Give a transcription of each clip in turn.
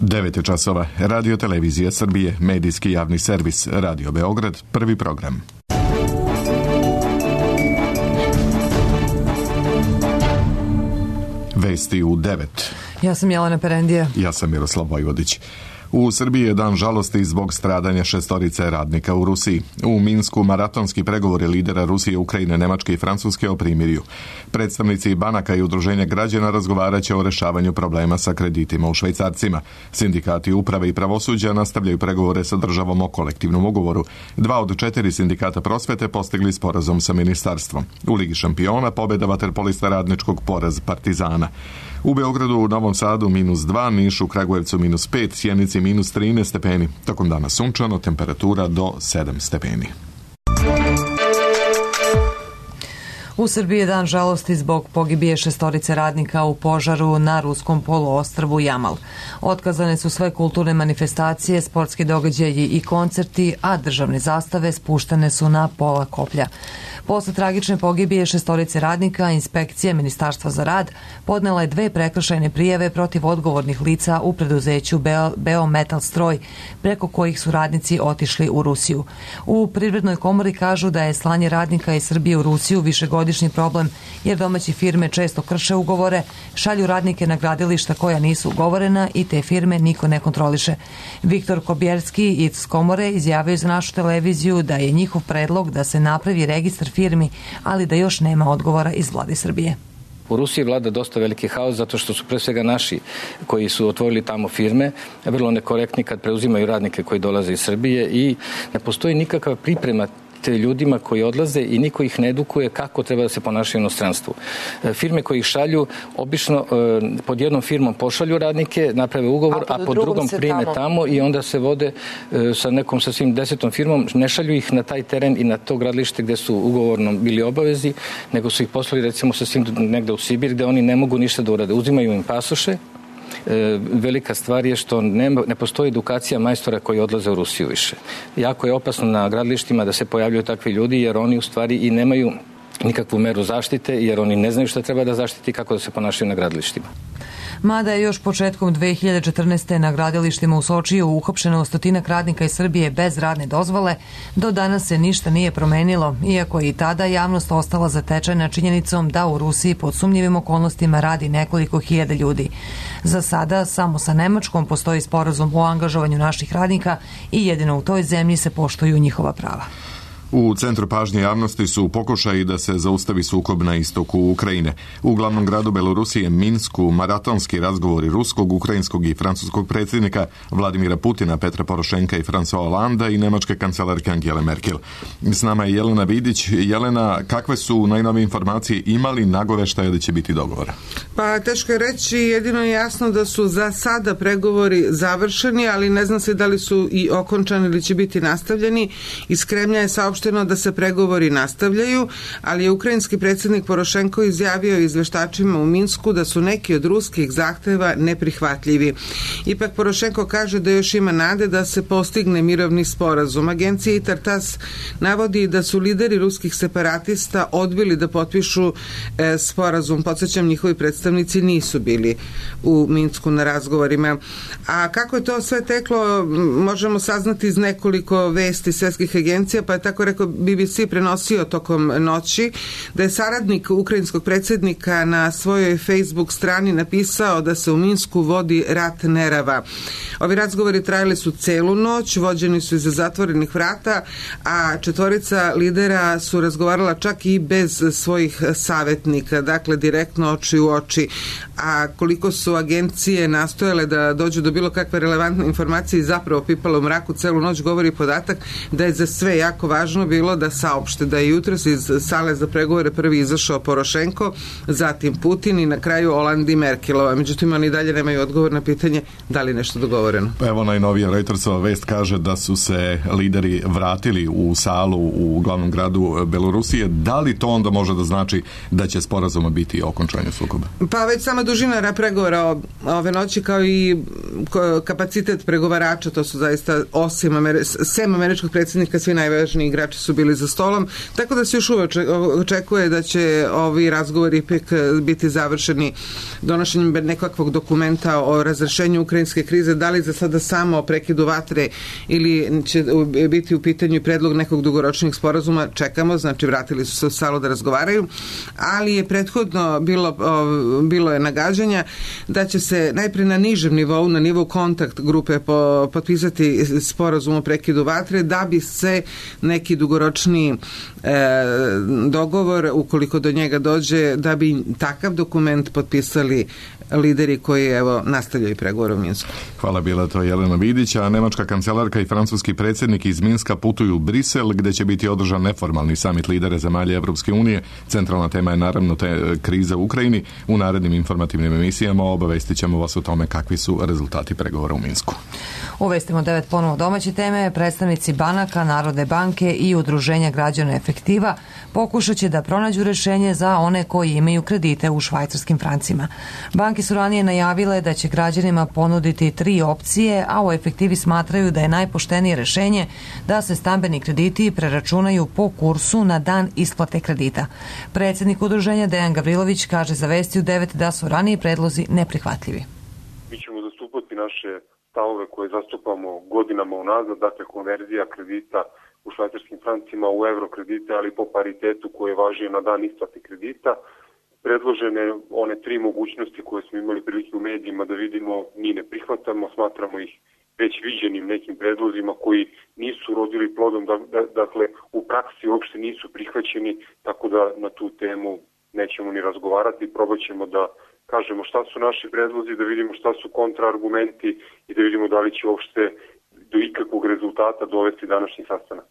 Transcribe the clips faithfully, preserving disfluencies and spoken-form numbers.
devet časova. Radio Televizija Srbije, medijski javni servis, Radio Beograd, prvi program. Vesti u devet. Ja sam Jelena Perendija. Ja sam Miroslav Vojvodić. U Srbiji je dan žalosti zbog stradanja šestorice radnika u Rusiji. U Minsku maratonski pregovori lidera Rusije, Ukrajine, Nemačke i Francuske o primirju. Predstavnici banaka i udruženja građana razgovaraće o rešavanju problema sa kreditima u švajcarcima. Sindikati uprave i pravosuđa nastavljaju pregovore sa državom o kolektivnom ugovoru. Dva od četiri sindikata prosvete postigli sporazum sa ministarstvom. U Ligi šampiona pobjeda vaterpolista Radničkog, poraz Partizana. U Beogradu, u Novom Sadu minus dva, Nišu, Kragujevcu minus pet, Sjenici minus trinaest stepeni. Tokom dana sunčano, temperatura do sedam stepeni. U Srbiji je dan žalosti zbog pogibije šestorice radnika u požaru na ruskom poluostrvu Jamal. Otkazane su sve kulturne manifestacije, sportski događaji i koncerti, a državne zastave spuštene su na pola koplja. Posle tragične pogibije šestorice radnika, inspekcija Ministarstva za rad podnela je dve prekršajne prijave protiv odgovornih lica u preduzeću Beometal Stroj, preko kojih su radnici otišli u Rusiju. U Privrednoj komori kažu da je slanje radnika iz Srbije u Rusiju višegodišnji problem, jer domaće firme često krše ugovore, šalju radnike na gradilišta koja nisu ugovorena i te firme niko ne kontroliše. Viktor Kobjerski iz komore izjavio za našu televiziju da je njihov predlog da se napravi registar firmi, ali da još nema odgovora iz vlade Srbije. U Rusiji vlada dosta veliki haos zato što su pre svega naši koji su otvorili tamo firme vrlo nekorektni kad preuzimaju radnike koji dolaze iz Srbije i ne postoji nikakva priprema te ljudima koji odlaze i niko ih ne edukuje kako treba da se ponašaju u inostranstvu. Firme koji ih šalju obično pod jednom firmom pošalju radnike, naprave ugovor, a, a pod drugom prime tamo. tamo i onda se vode sa nekom sasvim desetom firmom, ne šalju ih na taj teren i na to gradilište gde su ugovorno bili obavezi, nego su ih poslali recimo sasvim negde u Sibir gde oni ne mogu ništa da urade. Uzimaju im pasoše. E, velika stvar je što ne, ne postoji edukacija majstora koji odlaze u Rusiju više. Jako je opasno na gradilištima da se pojavljuju takvi ljudi jer oni u stvari i nemaju nikakvu meru zaštite jer oni ne znaju šta treba da zaštiti i kako da se ponašaju na gradilištima. Mada je još početkom dve hiljade četrnaeste. na gradilištima u Sočiju uhapšeno stotinak radnika iz Srbije bez radne dozvole, do danas se ništa nije promenilo, iako je i tada javnost ostala zatečena činjenicom da u Rusiji pod sumnjivim okolnostima radi nekoliko hiljada ljudi. Za sada samo sa Nemačkom postoji sporazum o angažovanju naših radnika i jedino u toj zemlji se poštuju njihova prava. U centru pažnje javnosti su pokušaji da se zaustavi sukob na istoku Ukrajine. U glavnom gradu Belorusije, Minsku, maratonski razgovori ruskog, ukrajinskog i francuskog predsjednika Vladimira Putina, Petra Porošenka i François Hollanda i nemačke kancelarke Angele Merkel. S nama je Jelena Vidić. Jelena, kakve su najnovije informacije, imali nagoveštaje da će biti dogovora? Pa teško je reći, jedino je jasno da su za sada pregovori završeni, ali ne zna se da li su i okončani ili će biti nastavljeni. Iz Kremlja je saopšteno da se pregovori nastavljaju, ali je ukrajinski predsjednik Porošenko izjavio izveštačima u Minsku da su neki od ruskih zahteva neprihvatljivi. Ipak Porošenko kaže da još ima nade da se postigne mirovni sporazum. Agencija I T A R TASS navodi da su lideri ruskih separatista odbili da potpišu e, sporazum. Podsjećam, njihovi predstavnici nisu bili u Minsku na razgovorima. A kako je to sve teklo, možemo saznati iz nekoliko vesti svetskih agencija, pa je tako rekao B B C prenosio tokom noći da je saradnik ukrajinskog predsjednika na svojoj Facebook strani napisao da se u Minsku vodi rat nerava. Ovi razgovori trajali su celu noć, vođeni su iza zatvorenih vrata, a četvorica lidera su razgovarala čak i bez svojih savjetnika, dakle direktno oči u oči. A koliko su agencije nastojale da dođu do bilo kakve relevantne informacije i zapravo pipalo u mraku celu noć, govori podatak da je za sve jako važno bilo da saopšte da je jutros iz sale za pregovore prvi izašao Porošenko, zatim Putin i na kraju Hollande i Merkelova. Međutim, oni dalje nemaju odgovor na pitanje da li nešto dogovoreno. Evo, najnovija Reutersova vest kaže da su se lideri vratili u salu u glavnom gradu Belorusije. Da li to onda može da znači da će sporazuma biti o okončanju sukoba? Pa već sama dužina pregovora ove noći kao i kapacitet pregovarača, to su zaista osim Ameri- sem američkog predsjednika, svi najvažniji igrači su bili za stolom, tako da se još uvek očekuje da će ovi razgovori ipak biti završeni donošenjem nekakvog dokumenta o razrešenju ukrajinske krize, da li za sada samo o prekidu vatre ili će biti u pitanju predlog nekog dugoročnog sporazuma, čekamo, znači vratili su se u salu da razgovaraju, ali je prethodno bilo, bilo je nagađanja da će se najpre na nižem nivou, na nivou kontakt grupe potpisati sporazum o prekidu vatre, da bi se neki dugoročni e, dogovor, ukoliko do njega dođe, da bi takav dokument potpisali lideri koji evo nastavljaju pregovore u Minsku. Hvala, bila to Jelena Vidić, a nemačka kancelarka i francuski predsjednik iz Minska putuju u Brisel, gdje će biti održan neformalni samit lidera zemalja Evropske unije. Centralna tema je naravno te kriza u Ukrajini. U narednim informativnim emisijama obavestit ćemo vas o tome kakvi su rezultati pregovora u Minsku. Uvestimo devet ponovo domaće teme. Predstavnici banaka, Narodne banke i Udruženja građana Efektiva pokušat će da pronađu rešenje za one koji imaju kredite u švajcarskim francima. Banke su ranije najavile da će građanima ponuditi tri opcije, a u Efektivi smatraju da je najpoštenije rešenje da se stambeni krediti preračunaju po kursu na dan isplate kredita. Predsjednik udruženja Dejan Gavrilović kaže za Vesti u devet da su raniji predlozi neprihvatljivi. Mi ćemo zastupati naše stavove koje zastupamo godinama unazad, dakle konverzija kredita u švajcarskim francima u euro kredite, ali po paritetu koje važi na dan isplate kredita. Predložene one tri mogućnosti koje smo imali prilike u medijima da vidimo, mi ne prihvatamo, smatramo ih već viđenim nekim predlozima koji nisu rodili plodom, da, da, dakle u praksi uopšte nisu prihvaćeni, tako da na tu temu nećemo ni razgovarati, probat ćemo da kažemo šta su naši predlozi, da vidimo šta su kontraargumenti i da vidimo da li će uopšte do ikakvog rezultata dovesti današnji sastanak.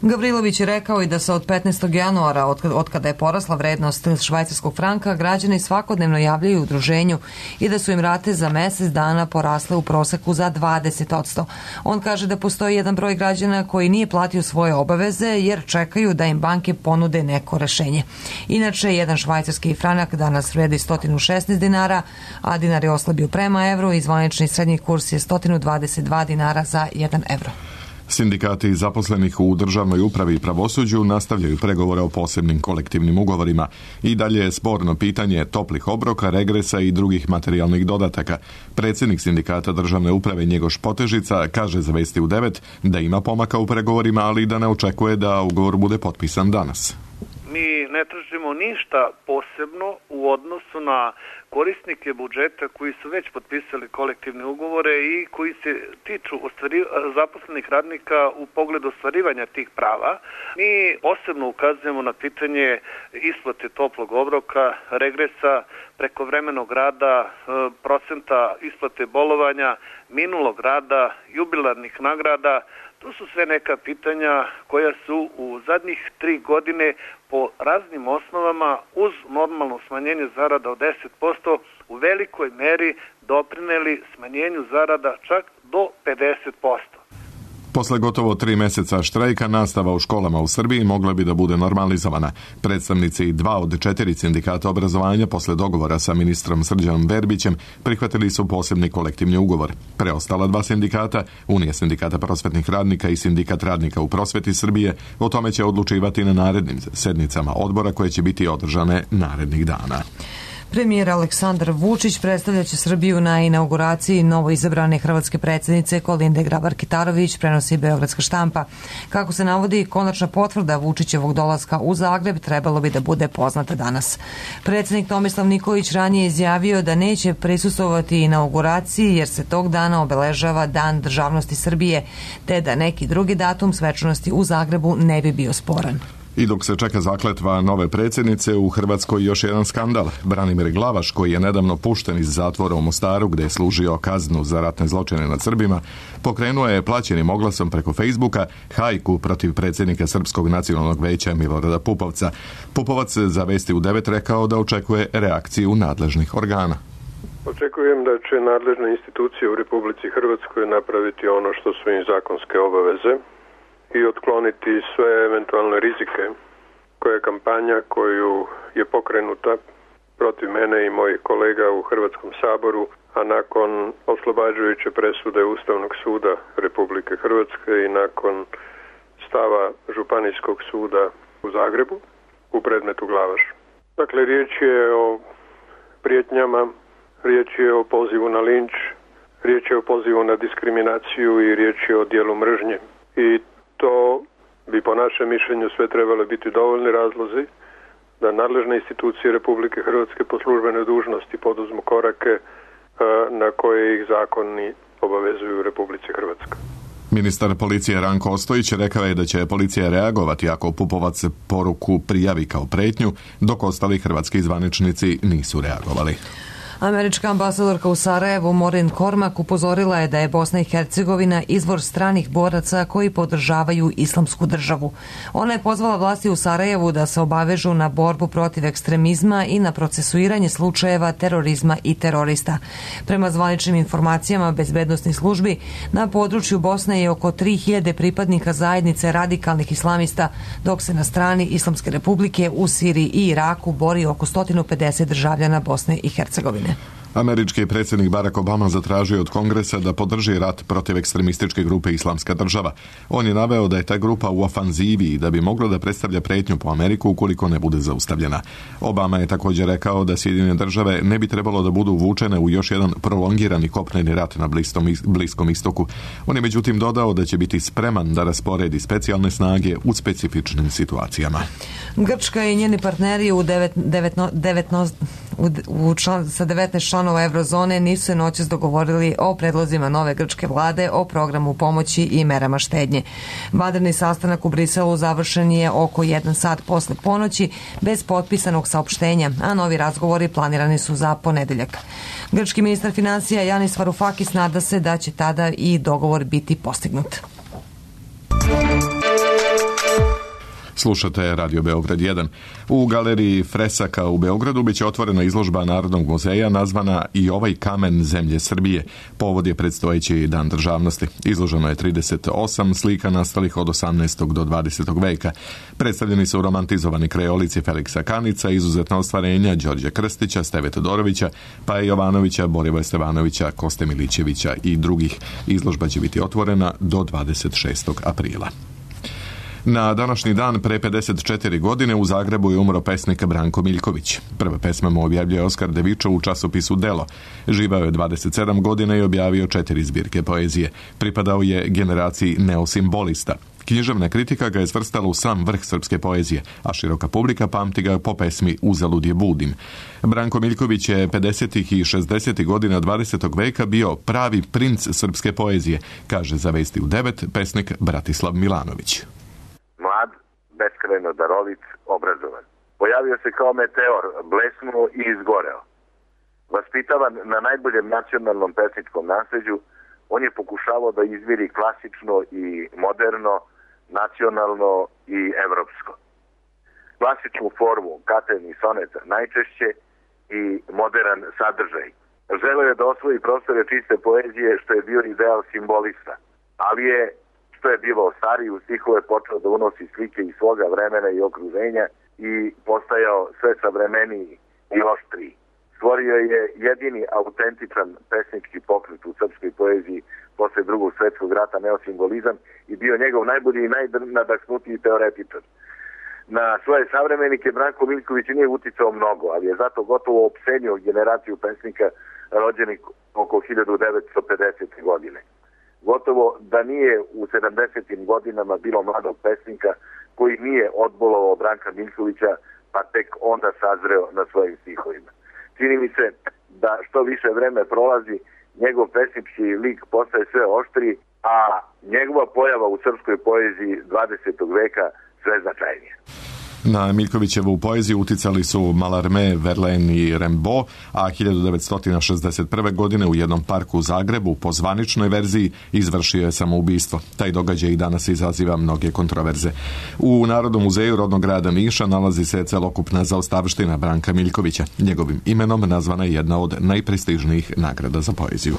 Gavrilović je rekao i da se od petnaestog januara, od kada je porasla vrednost švajcarskog franka, građani svakodnevno javljaju udruženju i da su im rate za mjesec dana porasle u proseku za dvadeset posto. On kaže da postoji jedan broj građana koji nije platio svoje obaveze jer čekaju da im banke ponude neko rešenje. Inače, jedan švajcarski franak danas vredi sto šesnaest dinara, a dinar je oslabio prema evru i zvanični srednji kurs je sto dvadeset dva dinara za jedan evro. Sindikati zaposlenih u državnoj upravi i pravosuđu nastavljaju pregovore o posebnim kolektivnim ugovorima. I dalje je sporno pitanje toplih obroka, regresa i drugih materijalnih dodataka. Predsjednik sindikata državne uprave Njegoš Potežica kaže za Vesti u devet da ima pomaka u pregovorima, ali da ne očekuje da ugovor bude potpisan danas. Mi ne tražimo ništa posebno u odnosu na korisnike budžeta koji su već potpisali kolektivne ugovore i koji se tiču ostvari, zaposlenih radnika u pogledu ostvarivanja tih prava. Mi posebno ukazujemo na pitanje isplate toplog obroka, regresa, prekovremenog rada, procenta isplate bolovanja, minulog rada, jubilarnih nagrada. To su sve neka pitanja koja su u zadnjih tri godine po raznim osnovama uz normalno smanjenje zarada od deset posto u velikoj meri doprineli smanjenju zarada čak do pedeset posto. Posle gotovo tri mjeseca štrajka, nastava u školama u Srbiji mogla bi da bude normalizovana. Predstavnici dva od četiri sindikata obrazovanja posle dogovora sa ministrom Srđanom Verbićem prihvatili su posebni kolektivni ugovor. Preostala dva sindikata, Unija sindikata prosvetnih radnika i Sindikat radnika u prosveti Srbije, o tome će odlučivati na narednim sednicama odbora koje će biti održane narednih dana. Premijer Aleksandar Vučić predstavljaće Srbiju na inauguraciji novoizabrane hrvatske predsjednice Kolinde Grabar-Kitarović, prenosi Beogradska štampa. Kako se navodi, konačna potvrda Vučićevog dolaska u Zagreb trebalo bi da bude poznata danas. Predsjednik Tomislav Nikolić ranije izjavio da neće prisustvovati inauguraciji jer se tog dana obeležava Dan državnosti Srbije, te da neki drugi datum svečanosti u Zagrebu ne bi bio sporan. I dok se čeka zakletva nove predsjednice, u Hrvatskoj još jedan skandal. Branimir Glavaš, koji je nedavno pušten iz zatvora u Mostaru gdje je služio kaznu za ratne zločine nad Srbima, pokrenuo je plaćenim oglasom preko Facebooka hajku protiv predsjednika Srpskog nacionalnog veća Milorada Pupovca. Pupovac za Vesti u devet rekao da očekuje reakciju nadležnih organa. Očekujem da će nadležne institucije u Republici Hrvatskoj napraviti ono što su im zakonske obaveze i otkloniti sve eventualne rizike koje je kampanja koju je pokrenuta protiv mene i mojih kolega u Hrvatskom saboru, a nakon oslobađajuće presude Ustavnog suda Republike Hrvatske i nakon stava Županijskog suda u Zagrebu u predmetu Glavaš. Dakle, riječ je o prijetnjama, riječ je o pozivu na linč, riječ je o pozivu na diskriminaciju i riječ je o dijelu mržnje. I to bi po našem mišljenju sve trebalo biti dovoljni razlozi da nadležne institucije Republike Hrvatske po službenoj dužnosti poduzmu korake na koje ih zakoni obavezuju u Republici Hrvatskoj. Ministar policije Ranko Ostojić rekao je da će policija reagovati ako Pupovac poruku prijavi kao pretnju, dok ostali hrvatski zvaničnici nisu reagovali. Američka ambasadorka u Sarajevu Maureen Cormack upozorila je da je Bosna i Hercegovina izvor stranih boraca koji podržavaju islamsku državu. Ona je pozvala vlasti u Sarajevu da se obavežu na borbu protiv ekstremizma i na procesuiranje slučajeva terorizma i terorista. Prema zvaničnim informacijama bezbednosnih službi, na području Bosne je oko tri hiljade pripadnika zajednice radikalnih islamista, dok se na strani Islamske republike u Siriji i Iraku bori oko sto pedeset državljana Bosne i Hercegovine. Američki predsjednik Barack Obama zatražio od Kongresa da podrži rat protiv ekstremističke grupe Islamska država. On je naveo da je ta grupa u ofanzivi i da bi mogla da predstavlja pretnju po Ameriku ukoliko ne bude zaustavljena. Obama je također rekao da Sjedinjene države ne bi trebalo da budu uvučene u još jedan prolongirani kopneni rat na Bliskom istoku. On je međutim dodao da će biti spreman da rasporedi specijalne snage u specifičnim situacijama. Grčka i njeni partneri u devet, devetno, devetno, u, u član, sa devetnaest članova Eurozone nisu se noćas dogovorili o predlozima nove grčke vlade o programu pomoći i merama štednje. Vanredni sastanak u Briselu završen je oko jedan sat posle ponoći bez potpisanog saopštenja, a novi razgovori planirani su za ponedeljak. Grčki ministar financija Yanis Varoufakis nada se da će tada i dogovor biti postignut. Slušate Radio Beograd jedan. U galeriji Fresaka u Beogradu biće otvorena izložba Narodnog muzeja nazvana I ovaj kamen zemlje Srbije. Povod je predstojeći Dan državnosti. Izloženo je trideset osam slika nastalih od osamnaestog do dvadesetog veka. Predstavljeni su romantizovani krajolici Feliksa Kanica, izuzetna ostvarenja Đorđa Krstića, Steve Todorovića, Paje Jovanovića, Borivoja Stevanovića, Koste Milićevića i drugih. Izložba će biti otvorena do dvadeset šestog aprila. Na današnji dan pre pedeset četiri godine u Zagrebu je umro pesnik Branko Miljković. Prve pesme mu objavljuje Oskar Devičo u časopisu Delo. Živao je dvadeset sedam godina i objavio četiri zbirke poezije. Pripadao je generaciji neosimbolista. Književna kritika ga je svrstala u sam vrh srpske poezije, a široka publika pamti ga po pesmi Uzalud je budim. Branko Miljković je pedesetih i šezdesetih godina dvadesetog veka bio pravi princ srpske poezije, kaže za Vesti u devet pesnik Bratislav Milanović. Mlad, beskrajno darovit, obrazovan. Pojavio se kao meteor, blesnuo i izgoreo. Vaspitavan na najboljem nacionalnom pesničkom nasleđu, on je pokušavao da izviri klasično i moderno, nacionalno i evropsko. Klasičnu formu katen i soneta najčešće i modern sadržaj. Želeo je da osvoji prostore čiste poezije, što je bio ideal simbolista, ali je što je bilo stariji u stihove počeo da unosi slike iz svoga vremena i okruženja i postajao sve savremeniji i oštriji. Stvorio je jedini autentičan pesnički pokret u srpskoj poeziji posle drugog svetskog rata, neosimbolizam, i bio njegov najbolji i najnadahnutiji teoretičar. Na svoje savremenike Branko Miljković nije uticao mnogo, ali je zato gotovo opsenio generaciju pesnika rođenih oko hiljadu devetsto pedesete. godine. Gotovo da nije u sedamdesetim godinama bilo mladog pesnika koji nije odbolovao Branka Miljkovića, pa tek onda sazreo na svojim stihovima. Čini mi se da što više vreme prolazi, njegov pesnički lik postaje sve oštriji, a njegova pojava u srpskoj poeziji dvadesetog veka sve značajnije. Na Miljkovićevu poeziju uticali su Mallarmé, Verlaine i Rimbaud, a hiljadu devetsto šezdeset prve. godine u jednom parku u Zagrebu po zvaničnoj verziji izvršio je samoubistvo. Taj događaj i danas izaziva mnoge kontroverze. U Narodnom muzeju rodnog grada Niša nalazi se celokupna zaostavština Branka Miljkovića. Njegovim imenom nazvana je jedna od najprestižnijih nagrada za poeziju.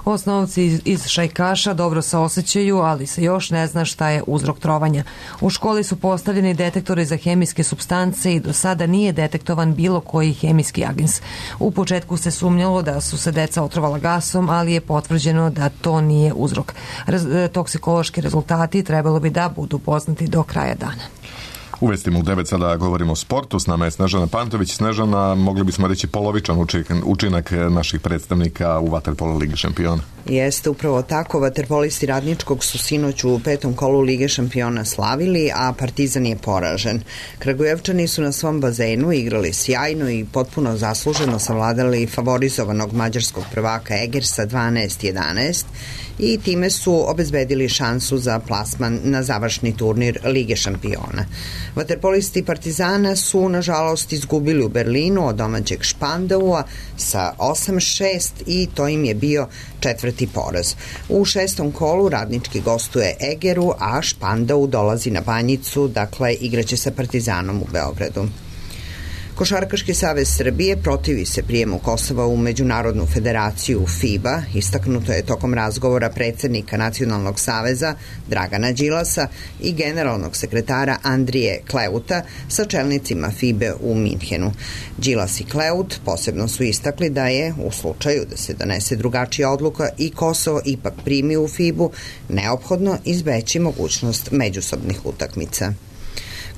Osnovci iz, iz šajkaša dobro se osjećaju, ali se još ne zna šta je uzrok trovanja. U školi su postavljeni detektori za hemijske supstance i do sada nije detektovan bilo koji hemijski agens. U početku se sumnjalo da su se deca otrovala gasom, ali je potvrđeno da to nije uzrok. Raz, toksikološki rezultati trebalo bi da budu poznati do kraja dana. U vestima u devet sada govorimo o sportu. S nama je Snežana Pantović. Snežana, mogli bismo reći polovičan učinak naših predstavnika u vaterpolo Ligi šampiona. Jeste upravo tako. Vaterpolisti Radničkog su sinoć u petom kolu Lige šampiona slavili, a Partizan je poražen. Kragujevčani su na svom bazenu igrali sjajno i potpuno zasluženo savladali favorizovanog mađarskog prvaka Egersa dvanaest jedanaest i time su obezbedili šansu za plasman na završni turnir Lige šampiona. Vaterpolisti Partizana su, nažalost, izgubili u Berlinu od domaćeg Špandaua sa osam šest i to im je bio četvrti poraz. U šestom kolu Radnički gostuje Egeru, a Špandau dolazi na Banjicu, dakle igraće sa Partizanom u Beogradu. Košarkaški savez Srbije protivi se prijemu Kosova u Međunarodnu federaciju FIBA, istaknuto je tokom razgovora predsednika Nacionalnog saveza Dragana Đilasa i generalnog sekretara Andrije Kleuta sa čelnicima FIBE u Minhenu. Đilas i Kleut posebno su istakli da je, u slučaju da se donese drugačija odluka i Kosovo ipak primi u FIBu, neophodno izbeći mogućnost međusobnih utakmica.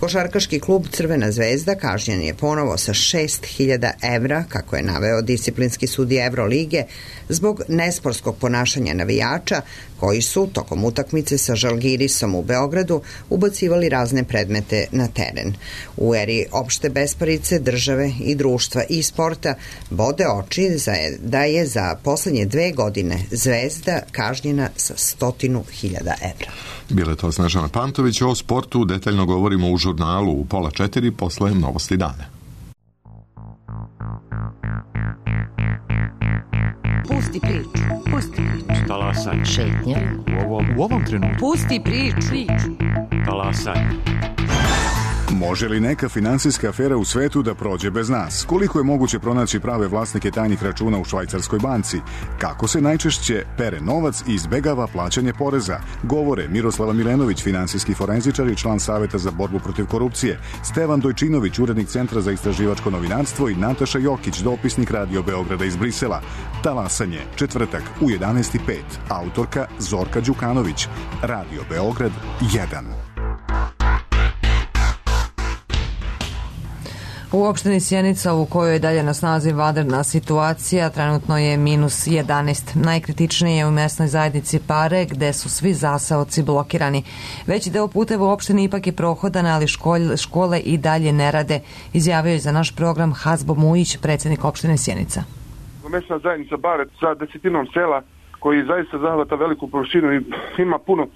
Košarkaški klub Crvena zvezda kažnjen je ponovo sa šest hiljada evra, kako je naveo disciplinski sudija Evrolige, zbog nesportskog ponašanja navijača koji su tokom utakmice sa Žalgirisom u Beogradu ubacivali razne predmete na teren. U eri opšte besparice države i društva i sporta bode oči da je za poslednje dve godine Zvezda kažnjena sa stotinu hiljada evra. Bile to Snežana Pantović. O sportu detaljno govorimo u žurnalu u pola četiri posle novosti dana. Pusti priču, pusti priču. Talasaj. Šetnja. U ovom, u ovom trenutku. Pusti priču. Talasaj. Može li neka finansijska afera u svetu da prođe bez nas? Koliko je moguće pronaći prave vlasnike tajnih računa u švajcarskoj banci? Kako se najčešće pere novac i izbegava plaćanje poreza? Govore Miroslava Milenović, finansijski forenzičar i član Saveta za borbu protiv korupcije, Stevan Dojčinović, urednik Centra za istraživačko novinarstvo i Nataša Jokić, dopisnik Radio Beograda iz Brisela. Talasanje, četvrtak u jedanaest i pet. Autorka Zorka Đukanović. Radio Beograd jedan. U opštini Sjenica, u kojoj je dalje na snazi vanredna situacija, trenutno je minus jedanaest. Najkritičnije je u mesnoj zajednici Pare, gde su svi zaseoci blokirani. Veći deo puteva u opštini ipak je prohodan, ali škole, škole i dalje ne rade, izjavio je za naš program Hazbo Mujić, predsjednik opštine Sjenica. Mesna zajednica Pare sa desetinom sela koji zaista zahvata veliku površinu i ima puno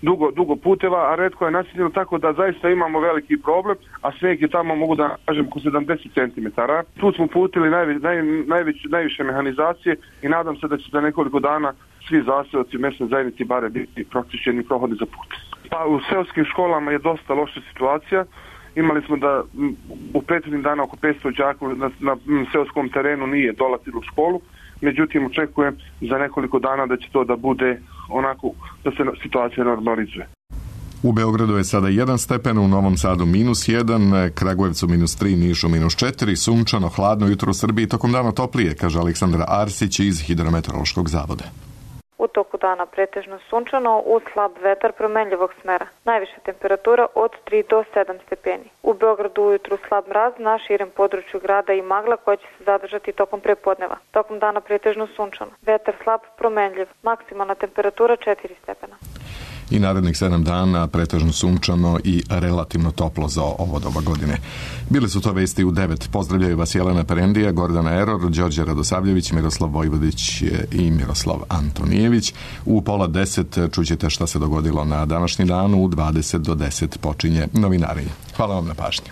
dugo, dugo puteva, a retko je naseljeno, tako da zaista imamo veliki problem, a snijeg je tamo, mogu da kažem, oko sedamdeset centimetara. Tu smo putili najve, naj, najveć, najviše mehanizacije i nadam se da će za nekoliko dana svi zaseoci mesne zajednici Bare biti pročišćeni i prohodni za put. Pa u seoskim školama je dosta loša situacija. Imali smo da u prethodnim dana oko petsto đaka na, na seoskom terenu nije dolazilo u školu. Međutim, očekujem za nekoliko dana da će to da bude onako da se situacija normalizuje. U Beogradu je sada jedan stepen, u Novom Sadu minus jedan, Kragujevcu minus tri, Nišu minus četiri, sunčano, hladno jutro u Srbiji, tokom dana toplije, kaže Aleksandra Arsić iz Hidrometeorološkog zavoda. U toku dana pretežno sunčano, uz slab vetar promenljivog smera. Najviša temperatura od tri do sedam stepeni. U Beogradu ujutru slab mraz, na širem području grada i magla koja će se zadržati tokom prepodneva. Tokom dana pretežno sunčano. Vetar slab promenljiv. Maksimalna temperatura četiri stepena. I narednih sedam dana pretežno sunčano i relativno toplo za ovo doba godine. Bile su to vesti u devet. Pozdravljaju vas Jelena Perendija, Gordana Eror, Đorđe Radosavljević, Miroslav Vojvodić i Miroslav Antonijević. U pola deset čućete šta se dogodilo na današnji dan. U dvadeset do deset počinje novinarenje. Hvala vam na pažnji.